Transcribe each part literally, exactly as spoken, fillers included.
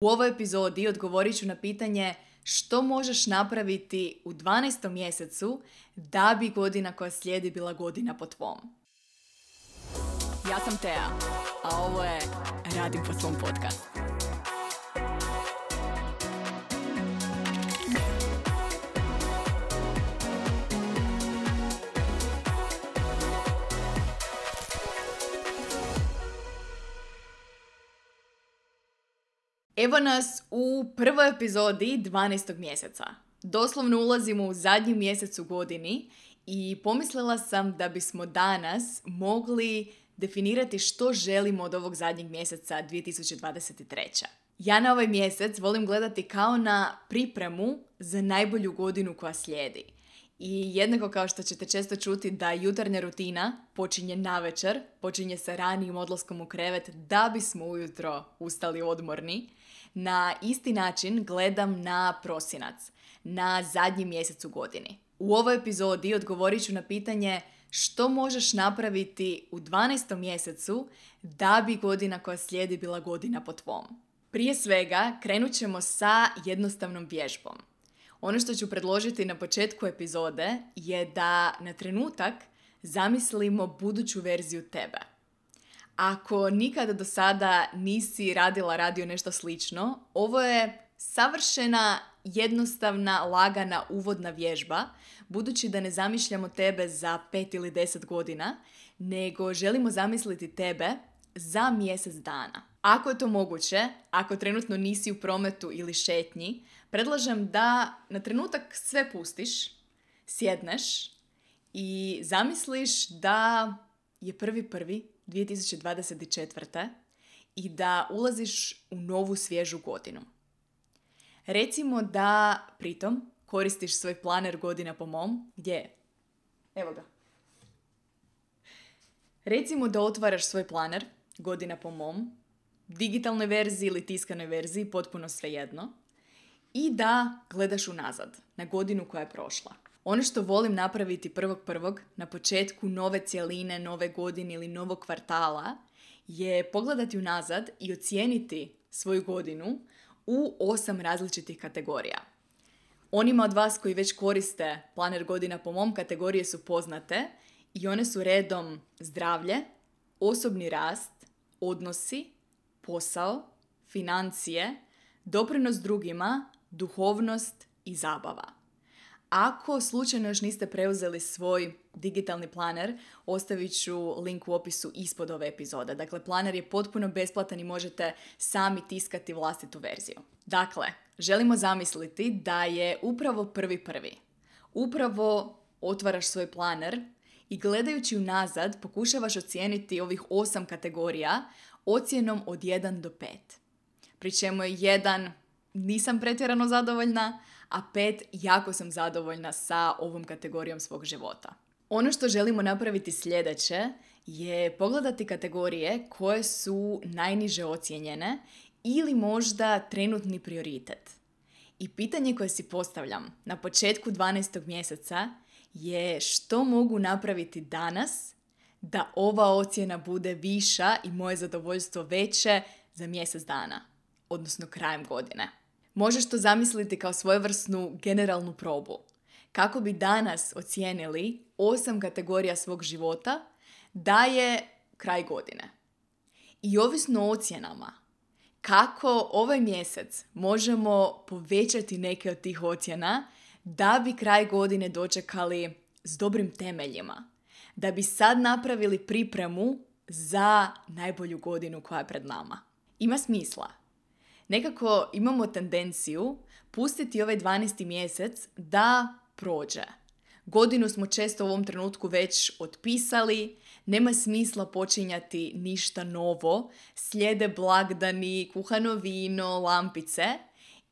U ovoj epizodi odgovorit ću na pitanje što možeš napraviti u dvanaestom mjesecu da bi godina koja slijedi bila godina po tvom. Ja sam Tea, a ovo je Radim po svom podcastu. Evo nas u prvoj epizodi dvanaestog mjeseca. Doslovno ulazimo u zadnji mjesec u godini i pomislila sam da bismo danas mogli definirati što želimo od ovog zadnjeg mjeseca dvije tisuće dvadeset treće. Ja na ovaj mjesec volim gledati kao na pripremu za najbolju godinu koja slijedi. I jednako kao što ćete često čuti da jutarnja rutina počinje navečer, počinje sa ranijim odlaskom u krevet da bismo ujutro ustali odmorni, na isti način gledam na prosinac, na zadnji mjesec u godini. U ovoj epizodi odgovorit ću na pitanje što možeš napraviti u dvanaestom mjesecu da bi godina koja slijedi bila godina po tvom. Prije svega krenut ćemo sa jednostavnom vježbom. Ono što ću predložiti na početku epizode je da na trenutak zamislimo buduću verziju tebe. Ako nikada do sada nisi radila, radio nešto slično, ovo je savršena, jednostavna, lagana uvodna vježba, budući da ne zamišljamo tebe za pet ili deset godina, nego želimo zamisliti tebe za mjesec dana. Ako je to moguće, ako trenutno nisi u prometu ili šetnji, predlažem da na trenutak sve pustiš, sjedneš i zamisliš da je prvi prvi dvije tisuće dvadeset četvrte i da ulaziš u novu svježu godinu. Recimo da pritom koristiš svoj planer godina po mom. Gdje je? Evo ga. Recimo da otvaraš svoj planer godina po mom, digitalnoj verziji ili tiskanoj verziji, potpuno svejedno, i da gledaš unazad na godinu koja je prošla. Ono što volim napraviti prvog prvog na početku nove cjeline, nove godine ili novog kvartala je pogledati unazad i ocijeniti svoju godinu u osam različitih kategorija. Onima od vas koji već koriste planer godina po mom, kategorije su poznate i one su redom zdravlje, osobni rast, odnosi, posao, financije, doprinos drugima, duhovnost i zabava. Ako slučajno još niste preuzeli svoj digitalni planer, ostavit ću link u opisu ispod ove epizode. Dakle, planer je potpuno besplatan i možete sami tiskati vlastitu verziju. Dakle, želimo zamisliti da je upravo prvi prvi. Upravo otvaraš svoj planer i gledajući unazad pokušavaš ocijeniti ovih osam kategorija ocjenom od jedan do pet. Pri čemu je jedan nisam pretjerano zadovoljna, a pet jako sam zadovoljna sa ovom kategorijom svog života. Ono što želimo napraviti sljedeće je pogledati kategorije koje su najniže ocijenjene ili možda trenutni prioritet. I pitanje koje si postavljam na početku dvanaestog mjeseca je što mogu napraviti danas da ova ocjena bude viša i moje zadovoljstvo veće za mjesec dana, odnosno krajem godine. Možeš to zamisliti kao svojevrsnu generalnu probu. Kako bi danas ocijenili osam kategorija svog života da je kraj godine. I ovisno o ocjenama, kako ovaj mjesec možemo povećati neke od tih ocjena da bi kraj godine dočekali s dobrim temeljima. Da bi sad napravili pripremu za najbolju godinu koja je pred nama. Ima smisla. Nekako imamo tendenciju pustiti ovaj dvanaesti mjesec da prođe. Godinu smo često u ovom trenutku već otpisali, nema smisla počinjati ništa novo, slijede blagdani, kuhano vino, lampice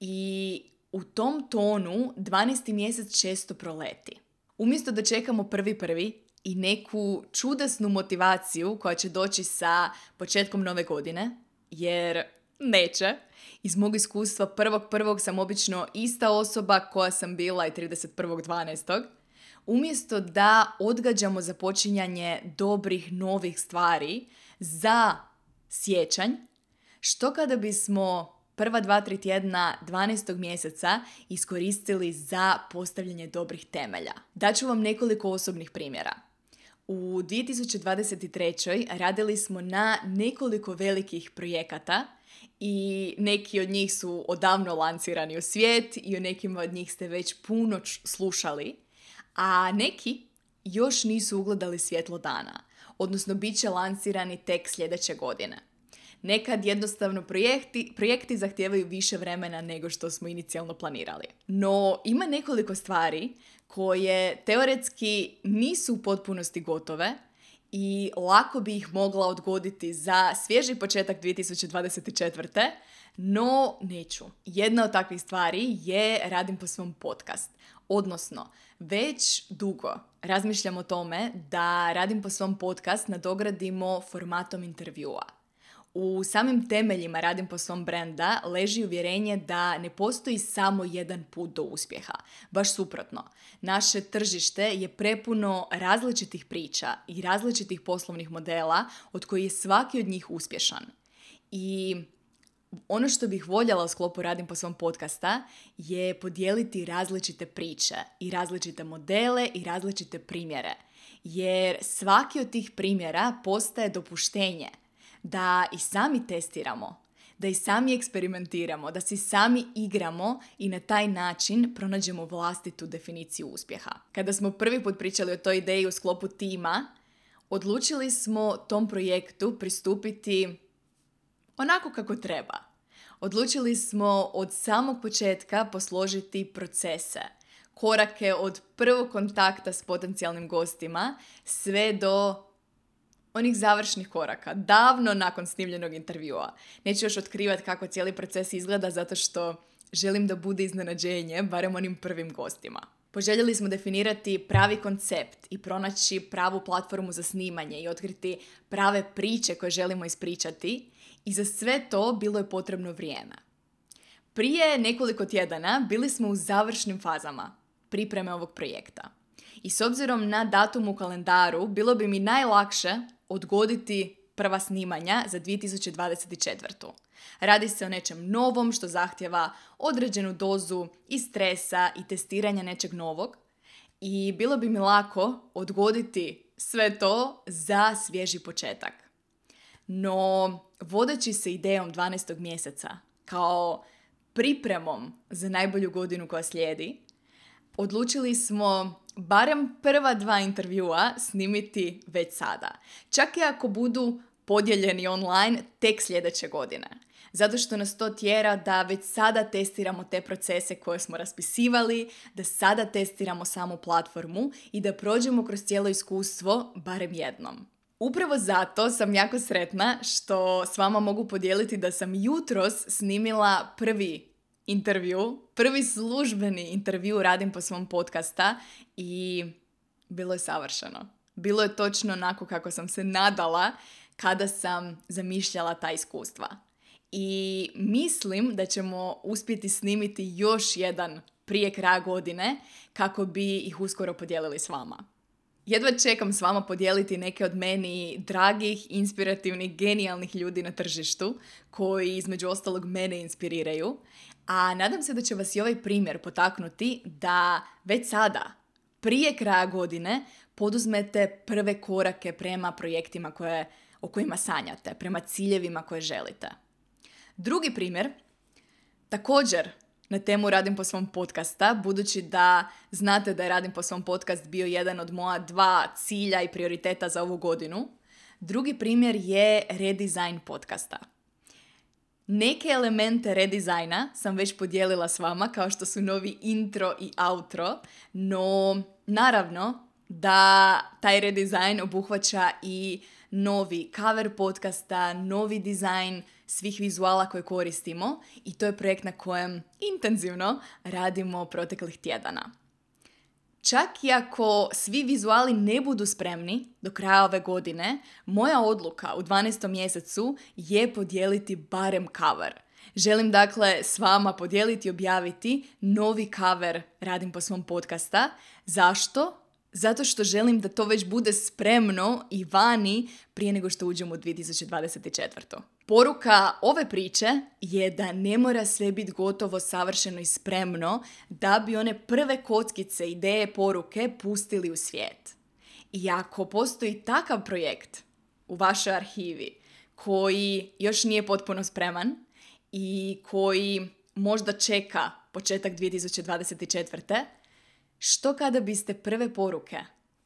i u tom tonu dvanaesti mjesec često proleti. Umjesto da čekamo prvi prvi i neku čudesnu motivaciju koja će doći sa početkom nove godine, jer neće. Iz mog iskustva prvog prvog sam obično ista osoba koja sam bila i trideset prvog dvanaestog Umjesto da odgađamo započinjanje dobrih novih stvari za siječanj, što kada bismo prva dva, tri tjedna dvanaestog mjeseca iskoristili za postavljanje dobrih temelja. Daću vam nekoliko osobnih primjera. U dvije tisuće dvadeset trećoj radili smo na nekoliko velikih projekata i neki od njih su odavno lancirani u svijet i o nekima od njih ste već puno slušali, a neki još nisu ugledali svjetlo dana, odnosno bit će lancirani tek sljedeće godine. Nekad jednostavno projekti, projekti zahtijevaju više vremena nego što smo inicijalno planirali. No, ima nekoliko stvari koje teoretski nisu u potpunosti gotove i lako bi ih mogla odgoditi za svježi početak dvije tisuće dvadeset četvrte. No, neću. Jedna od takvih stvari je radim po svom podcast. Odnosno, već dugo razmišljam o tome da radim po svom podcast nadogradimo formatom intervjua. U samim temeljima radim po svom brenda leži uvjerenje da ne postoji samo jedan put do uspjeha. Baš suprotno. Naše tržište je prepuno različitih priča i različitih poslovnih modela od kojih je svaki od njih uspješan. I ono što bih voljela u sklopu radim po svom podcasta je podijeliti različite priče i različite modele i različite primjere. Jer svaki od tih primjera postaje dopuštenje da i sami testiramo, da i sami eksperimentiramo, da si sami igramo i na taj način pronađemo vlastitu definiciju uspjeha. Kada smo prvi put pričali o toj ideji u sklopu tima, odlučili smo tom projektu pristupiti onako kako treba. Odlučili smo od samog početka posložiti procese, korake od prvog kontakta s potencijalnim gostima sve do onih završnih koraka, davno nakon snimljenog intervjua. Neću još otkrivati kako cijeli proces izgleda zato što želim da bude iznenađenje, barem onim prvim gostima. Poželjeli smo definirati pravi koncept i pronaći pravu platformu za snimanje i otkriti prave priče koje želimo ispričati i za sve to bilo je potrebno vrijeme. Prije nekoliko tjedana bili smo u završnim fazama pripreme ovog projekta. I s obzirom na datum u kalendaru, bilo bi mi najlakše odgoditi prva snimanja za dvije tisuće dvadeset četvrtu. Radi se o nečem novom što zahtjeva određenu dozu i stresa i testiranja nečeg novog i bilo bi mi lako odgoditi sve to za svježi početak. No, vodeći se idejom dvanaestog mjeseca kao pripremom za najbolju godinu koja slijedi, odlučili smo barem prva dva intervjua snimiti već sada. Čak i ako budu podijeljeni online tek sljedeće godine. Zato što nas to tjera da već sada testiramo te procese koje smo raspisivali, da sada testiramo samu platformu i da prođemo kroz cijelo iskustvo barem jednom. Upravo zato sam jako sretna što s vama mogu podijeliti da sam jutros snimila prvi intervju, prvi službeni intervju radim po svom podcasta i bilo je savršeno. Bilo je točno onako kako sam se nadala kada sam zamišljala ta iskustva. I mislim da ćemo uspjeti snimiti još jedan prije kraja godine kako bi ih uskoro podijelili s vama. Jedva čekam s vama podijeliti neke od meni dragih, inspirativnih, genijalnih ljudi na tržištu koji između ostalog mene inspiriraju. A nadam se da će vas i ovaj primjer potaknuti da već sada, prije kraja godine, poduzmete prve korake prema projektima koje, o kojima sanjate, prema ciljevima koje želite. Drugi primjer, također na temu Radim po svom podcasta, budući da znate da je Radim po svom podcast bio jedan od moja dva cilja i prioriteta za ovu godinu. Drugi primjer je redizajn podcasta. Neke elemente redizajna sam već podijelila s vama, kao što su novi intro i outro, no naravno da taj redizajn obuhvaća i novi cover podcasta, novi dizajn svih vizuala koje koristimo i to je projekt na kojem intenzivno radimo proteklih tjedana. Čak i ako svi vizuali ne budu spremni do kraja ove godine, moja odluka u dvanaestom mjesecu je podijeliti barem cover. Želim dakle s vama podijeliti i objaviti novi cover Radim po svom podcasta. Zašto? Zato što želim da to već bude spremno i vani prije nego što uđemo u dvije tisuće dvadeset četvrtu. Poruka ove priče je da ne mora sve biti gotovo, savršeno i spremno da bi one prve kockice, ideje, poruke pustili u svijet. I ako postoji takav projekt u vašoj arhivi koji još nije potpuno spreman i koji možda čeka početak dvije tisuće dvadeset četvrte, što kada biste prve poruke,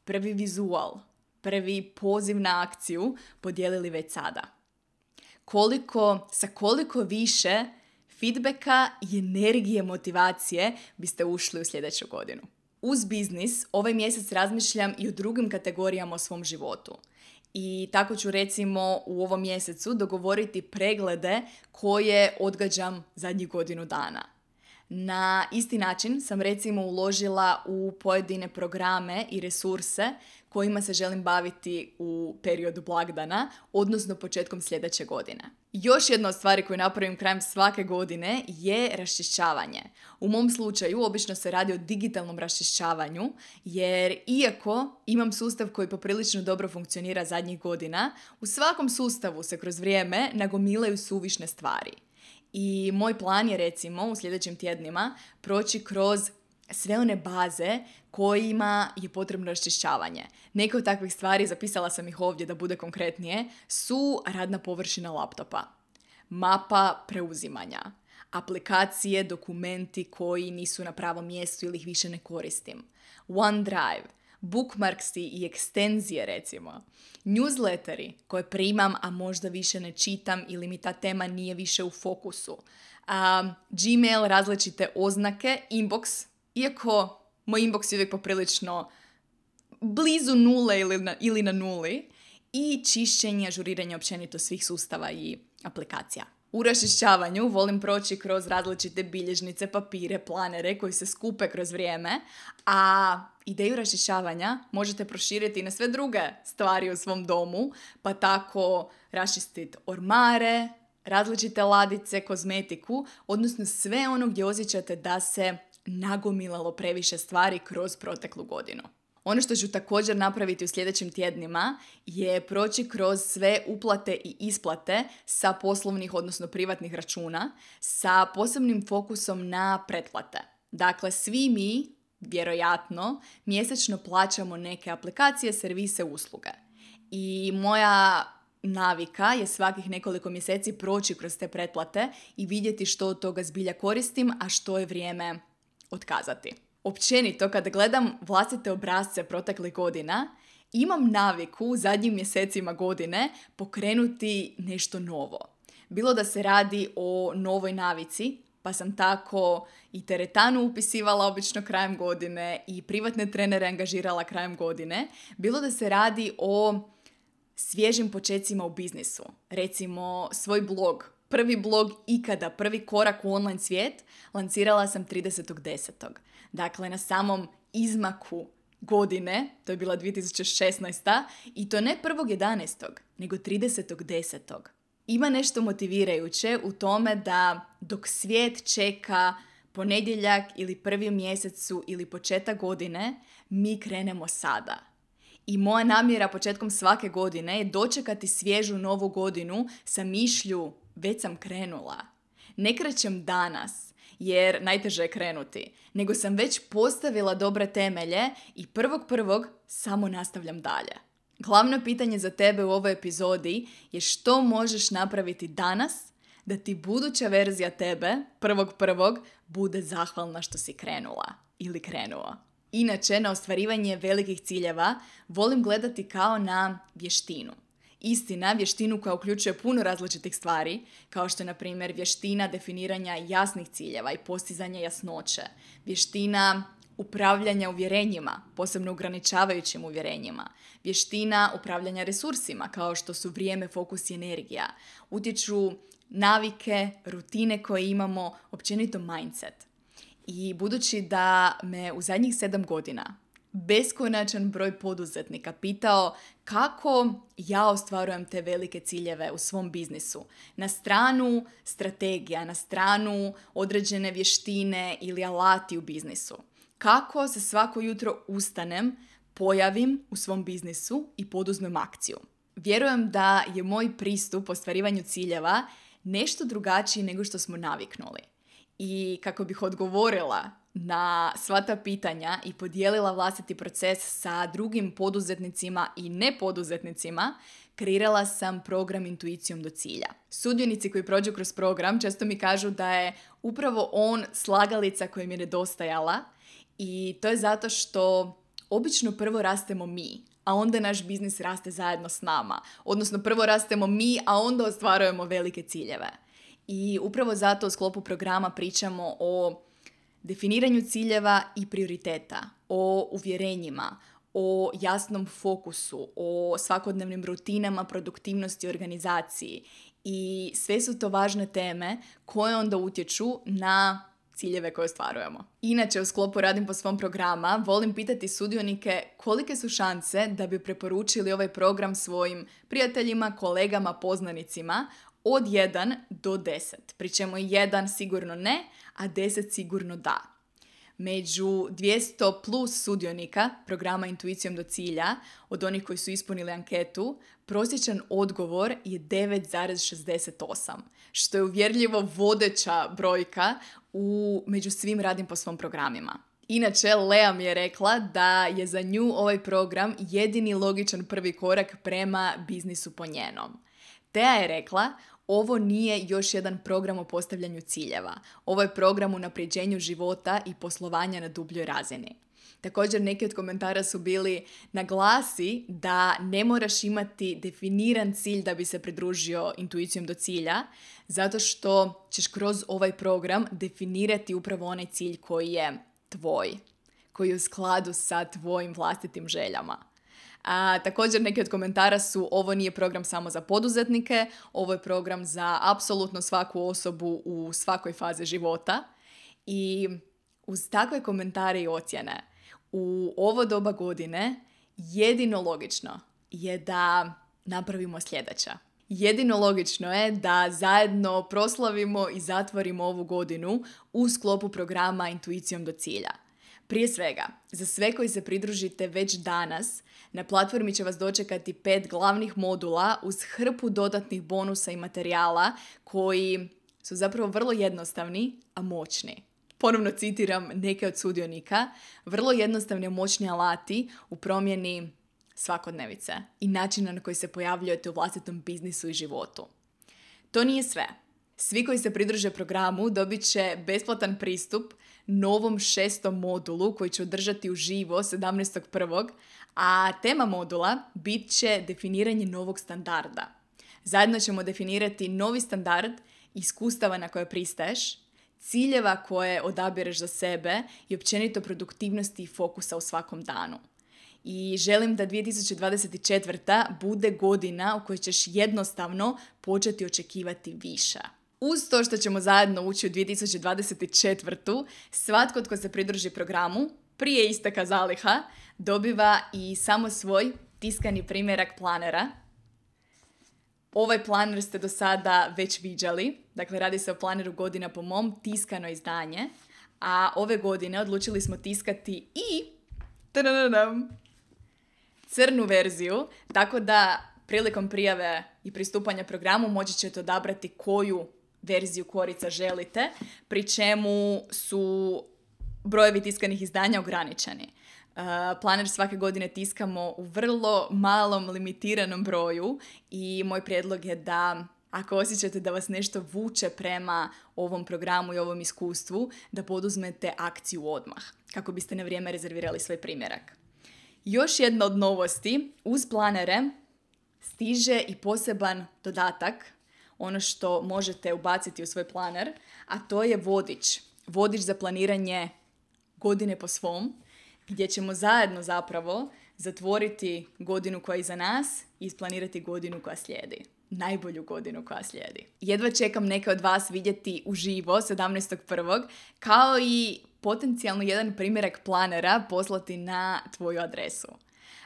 prvi vizual, prvi poziv na akciju podijelili već sada? Koliko, sa koliko više feedbacka i energije, motivacije biste ušli u sljedeću godinu? Uz biznis ovaj mjesec razmišljam i o drugim kategorijama o svom životu. I tako ću recimo u ovom mjesecu dogovoriti preglede koje odgađam zadnjih godinu dana. Na isti način sam recimo uložila u pojedine programe i resurse kojima se želim baviti u periodu blagdana, odnosno početkom sljedeće godine. Još jedna od stvari koju napravim krajem svake godine je raščišćavanje. U mom slučaju obično se radi o digitalnom raščišćavanju, jer iako imam sustav koji poprilično dobro funkcionira zadnjih godina, u svakom sustavu se kroz vrijeme nagomilaju suvišne stvari. I moj plan je recimo u sljedećim tjednima proći kroz sve one baze kojima je potrebno raščišćavanje. Neke od takvih stvari, zapisala sam ih ovdje da bude konkretnije, su radna površina laptopa, mapa preuzimanja, aplikacije, dokumenti koji nisu na pravom mjestu ili ih više ne koristim, OneDrive, bookmarksi i ekstenzije recimo, newsletteri koje primam, a možda više ne čitam ili mi ta tema nije više u fokusu, um, Gmail, različite oznake, inbox, iako moj inbox je uvijek poprilično blizu nule ili na, ili na nuli, i čišćenje, ažuriranje općenito svih sustava i aplikacija. U raščišćavanju volim proći kroz različite bilježnice, papire, planere koji se skupe kroz vrijeme, a ideju raščišćavanja možete proširiti na sve druge stvari u svom domu, pa tako raščistiti ormare, različite ladice, kozmetiku, odnosno sve ono gdje osjećate da se nagomilalo previše stvari kroz proteklu godinu. Ono što ću također napraviti u sljedećim tjednima je proći kroz sve uplate i isplate sa poslovnih, odnosno privatnih računa, sa posebnim fokusom na pretplate. Dakle, svi mi, vjerojatno, mjesečno plaćamo neke aplikacije, servise, usluge. I moja navika je svakih nekoliko mjeseci proći kroz te pretplate i vidjeti što od toga zbilja koristim, a što je vrijeme otkazati. Općenito, kada gledam vlastite obrasce proteklih godina, imam naviku u zadnjim mjesecima godine pokrenuti nešto novo. Bilo da se radi o novoj navici, pa sam tako i teretanu upisivala obično krajem godine i privatne trenere angažirala krajem godine. Bilo da se radi o svježim počecima u biznisu. Recimo svoj blog, prvi blog ikada, prvi korak u online svijet, lancirala sam tridesetog desetog Dakle, na samom izmaku godine, to je bila dvije tisuće šesnaesta i to ne prvog jedanaestog nego tridesetog desetog Ima nešto motivirajuće u tome da dok svijet čeka ponedjeljak ili prvi u mjesecu ili početak godine, mi krenemo sada. I moja namjera početkom svake godine je dočekati svježu novu godinu sa mišlju već sam krenula. Ne krećem danas, jer najteže je krenuti, nego sam već postavila dobre temelje i prvog prvog samo nastavljam dalje. Glavno pitanje za tebe u ovoj epizodi je što možeš napraviti danas da ti buduća verzija tebe, prvog prvog, bude zahvalna što si krenula ili krenuo. Inače, na ostvarivanje velikih ciljeva volim gledati kao na vještinu. Istina, vještinu koja uključuje puno različitih stvari, kao što je, na primjer, vještina definiranja jasnih ciljeva i postizanja jasnoće, vještina upravljanja uvjerenjima, posebno ograničavajućim uvjerenjima, vještina upravljanja resursima, kao što su vrijeme, fokus i energija, utječu navike, rutine koje imamo, općenito mindset. I budući da me u zadnjih sedam godina beskonačan broj poduzetnika pitao kako ja ostvarujem te velike ciljeve u svom biznisu. Na stranu strategija, na stranu određene vještine ili alati u biznisu. Kako se svako jutro ustanem, pojavim u svom biznisu i poduzmem akciju. Vjerujem da je moj pristup ostvarivanju ciljeva nešto drugačiji nego što smo naviknuli. I kako bih odgovorila na sva ta pitanja i podijelila vlastiti proces sa drugim poduzetnicima i nepoduzetnicima, kreirala sam program Intuicijom do cilja. Sudionici koji prođu kroz program često mi kažu da je upravo on slagalica koja mi je nedostajala i to je zato što obično prvo rastemo mi, a onda naš biznis raste zajedno s nama. Odnosno prvo rastemo mi, a onda ostvarujemo velike ciljeve. I upravo zato u sklopu programa pričamo o definiranju ciljeva i prioriteta, o uvjerenjima, o jasnom fokusu, o svakodnevnim rutinama, produktivnosti i organizaciji. I sve su to važne teme koje onda utječu na ciljeve koje ostvarujemo. Inače, u sklopu Radim po svom programa volim pitati sudionike kolike su šanse da bi preporučili ovaj program svojim prijateljima, kolegama, poznanicima od jedan do deset. Pri čemu jedan sigurno ne, a deset sigurno da. Među dvjesto plus sudionika programa Intuicijom do cilja, od onih koji su ispunili anketu, prosječan odgovor je devet zarez šezdeset osam, što je uvjerljivo vodeća brojka u, među svim Radim po svom programima. Inače, Lea mi je rekla da je za nju ovaj program jedini logičan prvi korak prema biznisu po njenom. Teja je rekla, ovo nije još jedan program o postavljanju ciljeva. Ovo je program o unapređenju života i poslovanja na dubljoj razini. Također, neki od komentara su bili naglasi da ne moraš imati definiran cilj da bi se pridružio Intuicijom do cilja, zato što ćeš kroz ovaj program definirati upravo onaj cilj koji je tvoj, koji je u skladu sa tvojim vlastitim željama. A, također neki od komentara su ovo nije program samo za poduzetnike, ovo je program za apsolutno svaku osobu u svakoj fazi života i uz takve komentare i ocjene u ovo doba godine jedino logično je da napravimo sljedeće. Jedino logično je da zajedno proslavimo i zatvorimo ovu godinu u sklopu programa Intuicijom do cilja. Prije svega, za sve koji se pridružite već danas, na platformi će vas dočekati pet glavnih modula uz hrpu dodatnih bonusa i materijala koji su zapravo vrlo jednostavni, a moćni. Ponovno citiram neke od sudionika, vrlo jednostavni i moćni alati u promjeni svakodnevice i načina na koji se pojavljujete u vlastitom biznisu i životu. To nije sve. Svi koji se pridruže programu dobit će besplatan pristup novom šestom modulu koji će održati uživo sedamnaestog prvog a tema modula bit će definiranje novog standarda. Zajedno ćemo definirati novi standard, iskustava na koje pristaješ, ciljeva koje odabireš za sebe i općenito produktivnosti i fokusa u svakom danu. I želim da dvije tisuće dvadeset četvrta bude godina u kojoj ćeš jednostavno početi očekivati više. Uz to što ćemo zajedno ući u dvije tisuće dvadeset četvrtu, svatko tko se pridruži programu prije isteka zaliha dobiva i samo svoj tiskani primjerak planera. Ovaj planer ste do sada već viđali, dakle radi se o planeru Godina po mom, tiskano izdanje, a ove godine odlučili smo tiskati i tadadadam, crnu verziju, tako da prilikom prijave i pristupanja programu moći ćete odabrati koju verziju korica želite, pri čemu su brojevi tiskanih izdanja ograničeni. Uh, planer svake godine tiskamo u vrlo malom, limitiranom broju i moj prijedlog je da ako osjećate da vas nešto vuče prema ovom programu i ovom iskustvu, da poduzmete akciju odmah, kako biste na vrijeme rezervirali svoj primjerak. Još jedna od novosti, uz planere stiže i poseban dodatak, ono što možete ubaciti u svoj planer, a to je vodič. Vodič za planiranje godine po svom, gdje ćemo zajedno zapravo zatvoriti godinu koja je iza nas i isplanirati godinu koja slijedi. Najbolju godinu koja slijedi. Jedva čekam neke od vas vidjeti uživo sedamnaestog prvog kao i potencijalno jedan primjerak planera poslati na tvoju adresu.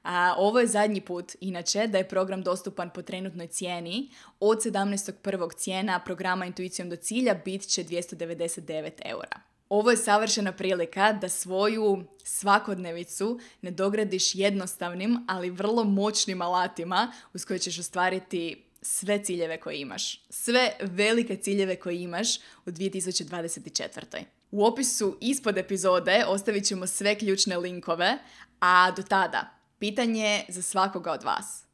A ovo je zadnji put, inače, da je program dostupan po trenutnoj cijeni. Od sedamnaestog prvog cijena programa Intuicijom do cilja bit će dvjesto devedeset devet eura. Ovo je savršena prilika da svoju svakodnevicu ne dogradiš jednostavnim, ali vrlo moćnim alatima uz koje ćeš ostvariti sve ciljeve koje imaš. Sve velike ciljeve koje imaš u dvije tisuće dvadeset četvrtoj. U opisu ispod epizode ostavit ćemo sve ključne linkove, a do tada, pitanje za svakoga od vas.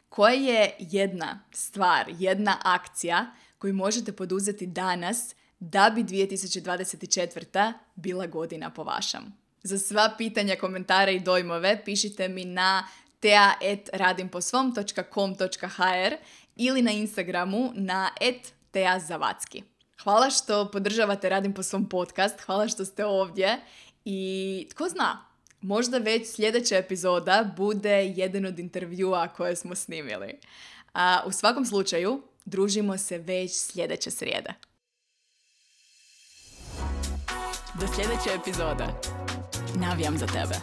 Koja je jedna stvar, jedna akcija koju možete poduzeti danas da bi dvije tisuće dvadeset četvrta bila godina po vašem? Za sva pitanja, komentare i dojmove pišite mi na tea et radimposvom točka com točka ha er ili na Instagramu na et teazavacki. Hvala što podržavate Radim po svom podcast, hvala što ste ovdje i tko zna, možda već sljedeća epizoda bude jedan od intervjua koje smo snimili. A u svakom slučaju, družimo se već sljedeće srijede. Do sljedeće epizode. Navijam za tebe.